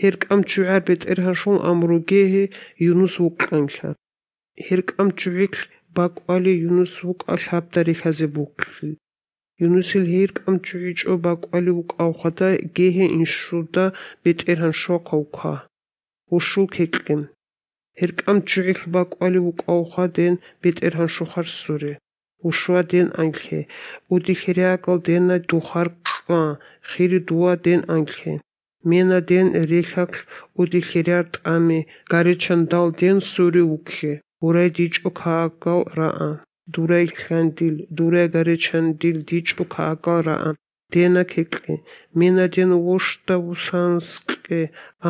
Հերկամ ճուար բետերհանշուն ամրուգեհի Յունուս վուկանքա։ Հերկամ ճուիք բակվալի Յունուս վուկալ հապտարի խազե բուկլի։ Յունուսիլ հերկամ ճուիչո բակվալի վուկաухада գեհե ինշուդա բետերհանշո կաուքա։ Ոշուկ հեքլեմ։ Հերկամ ճուիք բակվալի վուկաухադեն բետերհանշո խարսուրե։ Ոշուա դեն անքե։ Ուդի խերյակալ դեննա դուխար կա, խիրի դուա դեն անքե։ Մենա դեն ռեքակ ուդի խերյակ ամե, գարեչանդալ դեն սուրի ուքե։ Ուրայ դիճո քակալ ռաա։ Դուրայ խանդիլ, դուրայ գարեչանդիլ դիճո քակալ ռաա։ Դենա քեկլե։ Մենա դեն ոշտա ուսանսկե,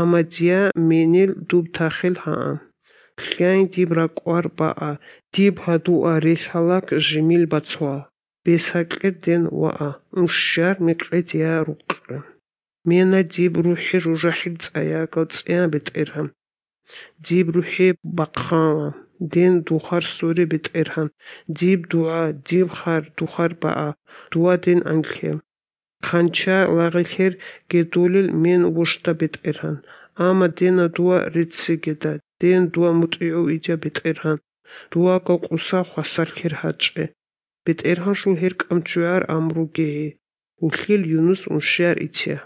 ամադյա մենիլ դուբ թախել հաա։ Խյայն դիբ ռակուար բաա, դիբ հադուա ռեխալակ ժիմիլ բացուա։ Բեսակեր դեն վաա, ուսշար մեկլետյա ռուկը։ Մենա դիբ ռուհի ռուժախիլ ծայակալ ծյա բետերհան։ Դիբ ռուհի բակխանա, դեն դուխար սուրի բետերհան։ Դիբ դուա, դիբ խար, դուխար բաա, դուա դեն անքե։ Խանչա լաղիքեր գետուլիլ մեն ոշտա բետերհան։ Ամա դենա դուա ռիցիգետա, դեն դուա մուտիո իդյա բետերհան։ Դուա կոկուսա խասարքեր հաճե։ Բետերհան շուլ հերկամ ճուար ամրուգեհի։ Ուխիլ Յունուս ունշյար իցյա։